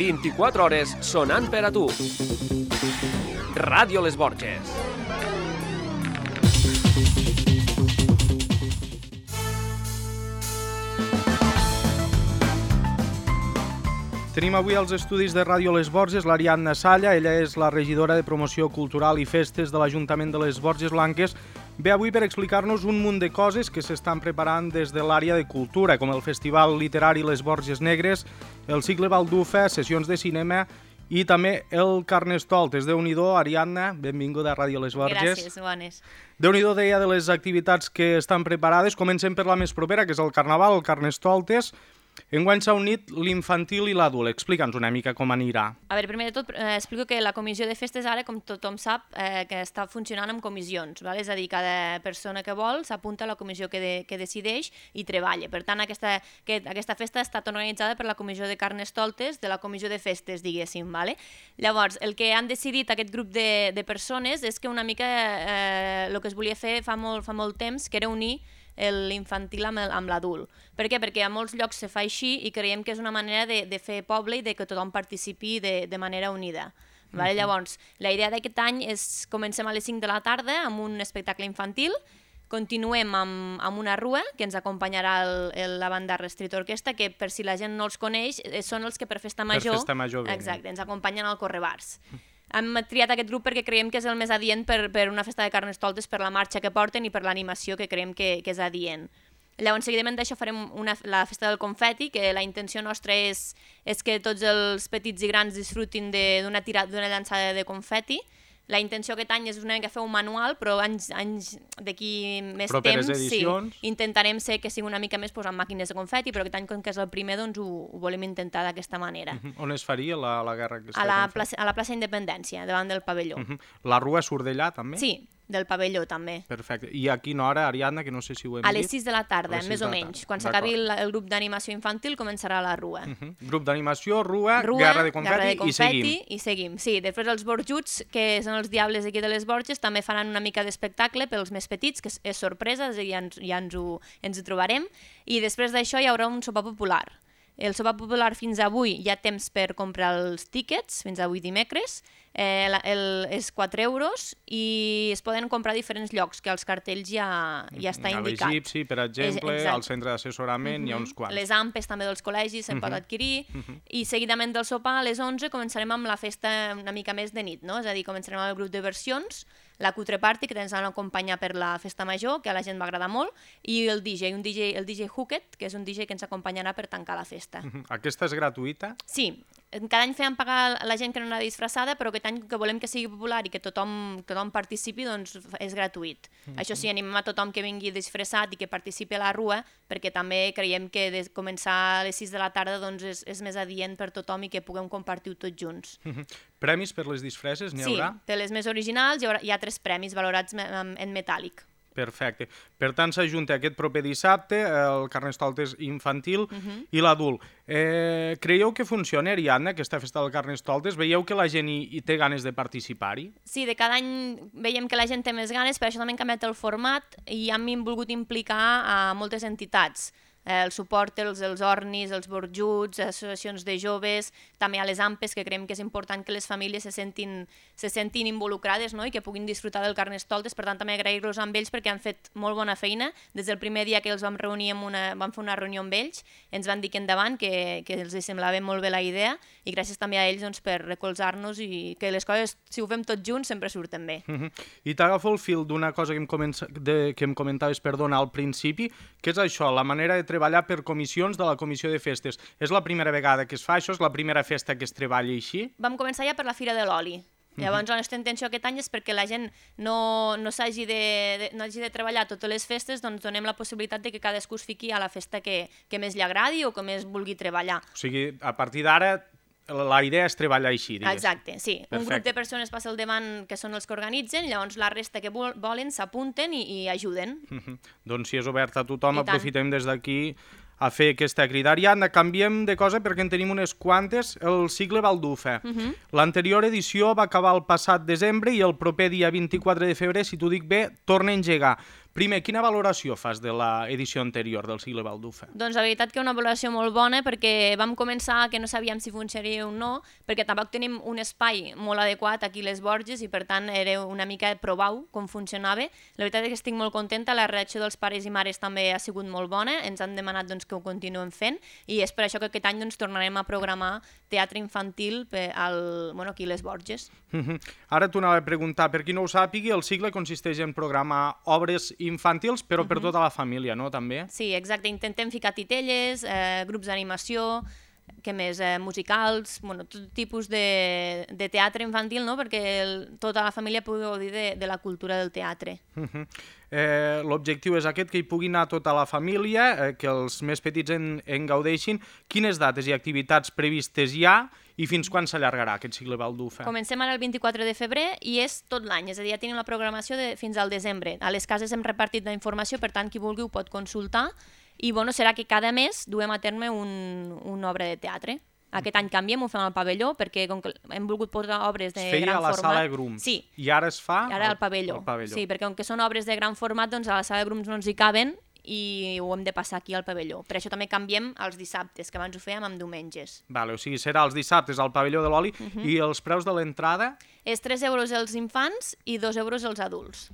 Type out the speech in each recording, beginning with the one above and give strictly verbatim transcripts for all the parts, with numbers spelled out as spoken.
vint-i-quatre hores sonant per a tu. Ràdio Les Borges. Tenim avui als estudis de Ràdio Les Borges l'Ariadna Salla. Ella és la regidora de Promoció Cultural i Festes de l'Ajuntament de les Borges Blanques. Ve avui per explicar-nos un munt de coses que s'estan preparant des de l'àrea de cultura, com el Festival Literari Les Borges Negres, el cicle Baldufa, sessions de cinema i també el Carnestoltes. Déu-n'hi-do, Ariadna, benvinguda a Ràdio Les Borges. Gràcies, bones. Déu-n'hi-do, deia, de les activitats que estan preparades. Comencem per la més propera, que és el Carnaval, el Carnestoltes. Enguany s'ha unit l'infantil i l'adult. Explica'ns una mica com anirà. A veure, primer de tot, eh, explico que la comissió de festes ara, com tothom sap, eh, que està funcionant amb comissions, val? És a dir, cada persona que vol s'apunta a la comissió que, de, que decideix i treballa. Per tant, aquesta, que, aquesta festa ha estat organitzada per la comissió de Carnestoltes, de la comissió de festes, diguéssim. Vale? Llavors, el que han decidit aquest grup de, de persones és que una mica eh, el que es volia fer fa molt, fa molt temps, que era unir l'infantil amb, amb l'adult. Per què? Perquè a molts llocs se fa així i creiem que és una manera de, de fer poble i de que tothom participi de, de manera unida. Vale? Uh-huh. Llavors, la idea d'aquest any és comencem a les cinc de la tarda amb un espectacle infantil, continuem amb, amb una rua que ens acompanyarà el, el, la banda Restrit Orquestra, que per si la gent no els coneix, són els que per Festa Major, per festa major exacte, ens acompanyen al Correbars. Hem triat aquest grup perquè creiem que és el més adient per, per una festa de Carnestoltes, per la marxa que porten i per l'animació que creiem que, que és adient. Llavors, seguidament d'això farem una, la festa del confeti, que la intenció nostra és, és que tots els petits i grans disfrutin d'una d'una llançada de confeti. La intenció aquest any és una mica fer un manual, però anys, anys d'aquí més properes temps edicions. Sí, intentarem ser que sigui una mica més pues, amb màquines de confeti, però aquest any, com que és el primer, doncs ho, ho volem intentar d'aquesta manera. Uh-huh. On es faria la, la guerra? Que a, la plaça, a la plaça Independència, davant del pavelló. Uh-huh. La rua surt d'allà, també? Sí, del pavelló, també. Perfecte. I a quina hora, Ariadna, que no sé si ho hem dit? A les sis de la tarda, més o menys. Quan s'acabi el, el grup d'animació infantil, començarà la rua. Uh-huh. Grup d'animació, rua, rua, guerra de confeti, guerra de confeti i seguim. i seguim. Sí, després els borjuts, que són els diables aquí de les Borges, també faran una mica d'espectacle pels més petits, que és, és sorpresa, ja, ens, ja ens, ho, ens ho trobarem. I després d'això hi haurà un sopar popular. El sopar popular fins avui hi ha temps per comprar els tíquets, fins avui dimecres, eh, el, és quatre euros i es poden comprar a diferents llocs, que als cartells ja, ja està indicat. A l'Egipci, per exemple, és, al centre d'assessorament, uh-huh. hi ha uns quants. Les ampes també dels col·legis se'n uh-huh. pot adquirir, uh-huh. i seguidament del sopar a les onze començarem amb la festa una mica més de nit, no? És a dir, començarem amb el grup de versions, la Cutre Party, que ens van acompanyar per la festa major, que a la gent va agradar molt, i el D J, un D J el D J Hooket, que és un D J que ens acompanyarà per tancar la festa. Uh-huh. Aquesta és gratuïta? Sí. Cada any fèiem pagar la gent que no anava disfressada, però aquest any que volem que sigui popular i que tothom, que tothom participi, doncs és gratuït. Uh-huh. Això sí, animem a tothom que vingui disfressat i que participi a la rua, perquè també creiem que de començar a les sis de la tarda doncs és, és més adient per tothom i que puguem compartir-ho tots junts. Uh-huh. Premis per les disfresses n'hi haurà? Sí, per les més originals hi, haurà, hi ha tres premis valorats en metàl·lic. Perfecte. Per tant, s'ajunta aquest proper dissabte el Carnestoltes infantil uh-huh. i l'adult. Eh, creieu que funciona, Ariadna, aquesta festa del Carnestoltes? Veieu que la gent hi, hi té ganes de participar-hi? Sí, de cada any veiem que la gent té més ganes, per això també hem canviat el format i hem volgut implicar a moltes entitats. El suport els, els ornis, els borjuts, associacions de joves, també a les ampes, que creiem que és important que les famílies se sentin, se sentin involucrades, no? I que puguin disfrutar del Carnestoltes. Per tant, també agrair-los amb ells perquè han fet molt bona feina. Des del primer dia que els vam reunir, amb una, vam fer una reunió amb ells, ens van dir que endavant, que, que els semblava molt bé la idea, i gràcies també a ells doncs, per recolzar-nos i que les coses, si ho fem tots junts, sempre surten bé. Uh-huh. I t'agafo el fil d'una cosa que em, comença, de, que em comentaves, perdona, al principi, que és això, la manera de treballar per comissions de la comissió de festes. És la primera vegada que es fa això? És la primera festa que es treballa així? Vam començar ja per la Fira de l'Oli. Llavors, uh-huh. la nostra intenció aquest any és perquè la gent no, no s'hagi de, de, no hagi de treballar totes les festes, doncs donem la possibilitat de que cadascú es fiqui a la festa que, que més li agradi o que més vulgui treballar. O sigui, a partir d'ara la idea és treballar així, digues. Exacte, sí. Perfecte. Un grup de persones passa al davant que són els que organitzen, llavors la resta que volen s'apunten i, i ajuden. Uh-huh. Doncs si és obert a tothom, aprofitem des d'aquí a fer aquesta crida. Ariadna, canviem de cosa perquè en tenim unes quantes. El cicle Baldufa. Uh-huh. L'anterior edició va acabar el passat desembre i el proper dia vint-i-quatre de febrer, si t'ho dic bé, torna a engegar. Primer, quina valoració fas de l'edició anterior del Cicle Baldufa? Doncs la veritat que una valoració molt bona, perquè vam començar que no sabíem si funcionaria o no, perquè tampoc tenim un espai molt adequat aquí a les Borges i per tant era una mica provar com funcionava. La veritat és que estic molt contenta, la reacció dels pares i mares també ha sigut molt bona, ens han demanat doncs, que ho continuem fent i és per això que aquest any doncs, tornarem a programar teatre infantil al, bueno, aquí a les Borges. Uh-huh. Ara t'ho anava a preguntar, per qui no ho sàpigui, el cicle consisteix en programar obres infantils, però per tota la família, no? També? Sí, exacte. Intentem ficar titelles, eh, grups d'animació, què més, eh, musicals, bueno, tot tipus de, de teatre infantil, no? Perquè el, tota la família pugui gaudir de, de la cultura del teatre. Uh-huh. eh, L'objectiu és aquest, que hi pugui anar tota la família, eh, que els més petits en, en gaudeixin. Quines dates i activitats previstes hi ha i fins quan s'allargarà aquest cicle Baldufa? Comencem ara el vint-i-quatre de febrer i és tot l'any, és a dir, ja tenim la programació de, fins al desembre. A les cases hem repartit la informació, per tant, qui vulgui ho pot consultar i bueno, serà que cada mes duem a terme un, una obra de teatre. Aquest any canviem, ho fem al pavelló, perquè com que hem volgut posar obres de gran format... Es feia a la format, sala de Grums, sí. I ara es fa ara al, al pavelló. al pavelló. Sí, perquè com que són obres de gran format, doncs a la sala de Grums no ens hi caben i ho hem de passar aquí al pavelló. Per això també canviem els dissabtes, que abans ho fèiem amb diumenges. Vale, o sigui, serà els dissabtes al pavelló de l'Oli. Uh-huh. I els preus de l'entrada? És tres euros els infants i dos euros els adults.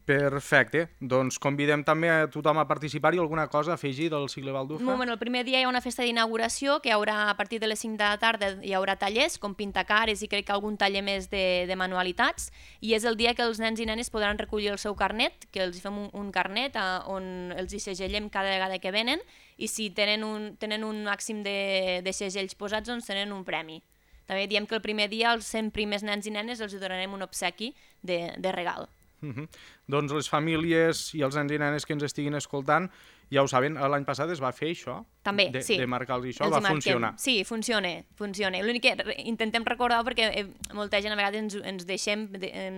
Perfecte, doncs convidem també a tothom a participar-hi. Alguna cosa a afegir del cicle Baldufa? Bueno, el primer dia hi ha una festa d'inauguració que hi haurà a partir de les cinc de la tarda, hi haurà tallers com pintacares i crec que algun taller més de, de manualitats, i és el dia que els nens i nenes podran recollir el seu carnet, que els fem un, un carnet a, on els hi segellem cada vegada que venen, i si tenen un, tenen un màxim de, de segells posats, doncs tenen un premi. També diem que el primer dia als cent primers nens i nenes els donarem un obsequi de, de regal. Uh-huh. Doncs les famílies i els nens i nenes que ens estiguin escoltant ja ho saben, l'any passat es va fer això, també, de, sí. de marcar-los això, els va marquem. funcionar. Sí, funciona, funciona. L'únic que intentem recordar, perquè eh, molta gent a vegades ens, ens deixem, de, en,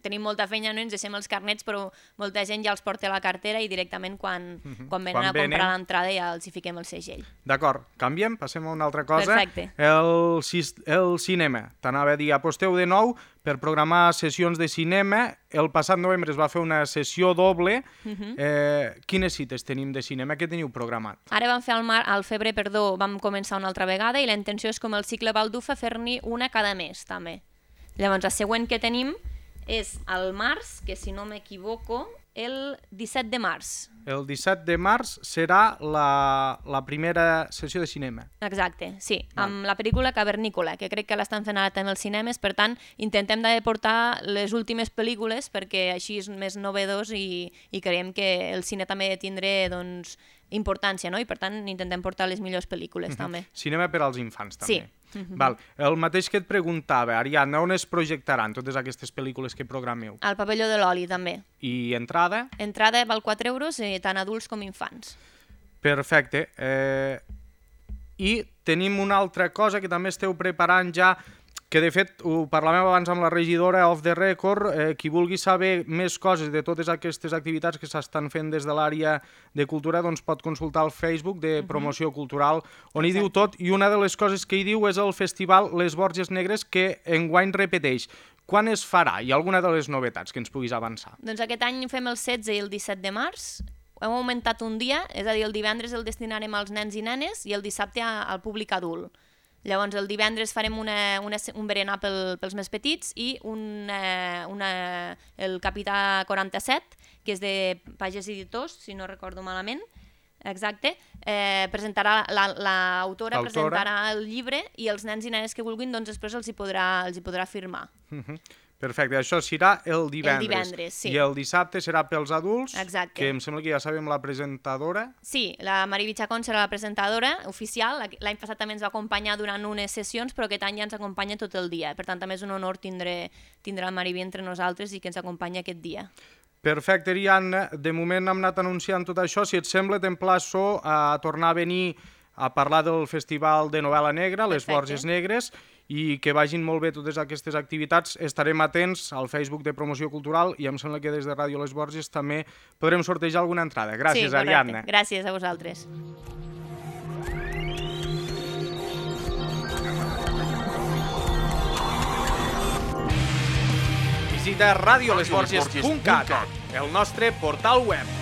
tenim molta feina, no ens deixem els carnets, però molta gent ja els porta a la cartera i directament quan, uh-huh. quan venen quan a comprar venen... l'entrada ja els hi fiquem el segell. D'acord, canviem, passem a una altra cosa. Perfecte. El, el cinema, t'anava a dir, aposteu de nou per programar sessions de cinema. El passat novembre es va fer una sessió doble. Uh-huh. eh, quines cites tenim de cinema? Què teniu programat? Ara vam fer al, mar, al febrer, perdó, vam començar una altra vegada i la intenció és, com el cicle Baldufa, fer-n'hi una cada mes, també. Llavors, la següent que tenim és al març, que si no m'equivoco, el disset de març. El disset de març serà la, la primera sessió de cinema. Exacte, sí, amb la pel·lícula Cavernícola, que crec que l'estan fent ara també als cinemes, per tant, intentem de portar les últimes pel·lícules perquè així és més novedós i, i creiem que el cine també ha de tindre, doncs, importància, no? I per tant intentem portar les millors pel·lícules, uh-huh. també. Cinema per als infants, també. Sí. Uh-huh. Val. El mateix que et preguntava, Ariadna, on es projectaran totes aquestes pel·lícules que programeu? Al pavelló de l'Oli, també. I entrada? Entrada val quatre euros, eh, tant adults com infants. Perfecte. Eh... I tenim una altra cosa que també esteu preparant ja, que de fet ho parlàvem abans amb la regidora off the record, eh, qui vulgui saber més coses de totes aquestes activitats que s'estan fent des de l'àrea de cultura, doncs pot consultar el Facebook de Promoció Cultural, on hi diu tot, i una de les coses que hi diu és el festival Les Borges Negres, que enguany repeteix. Quan es farà? Hi ha alguna de les novetats que ens puguis avançar? Doncs aquest any fem el setze i el disset de març, hem augmentat un dia, és a dir, el divendres el destinarem als nens i nenes i el dissabte al públic adult. Llavors, el divendres farem una, una, un berenar pel, pels més petits i una, una, el Capità quaranta-set, que és de Pages Editors, si no recordo malament, exacte, eh, presentarà l'autora, la, presentarà el llibre i els nens i nenes que vulguin, doncs després els hi podrà, els hi podrà firmar. Uh-huh. Perfecte, això serà el divendres. El divendres, sí. I el dissabte serà pels adults, exacte. Que em sembla que ja sabem la presentadora. Sí, la Mariby Chacón serà la presentadora oficial. L'any passat també ens va acompanyar durant unes sessions, però aquest any ja ens acompanya tot el dia. Per tant, també és un honor tindre, tindre la Mariby entre nosaltres i que ens acompanya aquest dia. Perfecte, Ariadna. De moment hem anat anunciant tot això. Si et sembla, t'emplaço a tornar a venir a parlar del Festival de Novel·la Negra, Les Borges Negres, i que vagin molt bé totes aquestes activitats. Estarem atents al Facebook de Promoció Cultural i em sembla que des de Ràdio Les Borges també podrem sortejar alguna entrada. Gràcies, sí, Ariadna. Gràcies a vosaltres. Visita radiolesborges punt cat. el nostre portal web.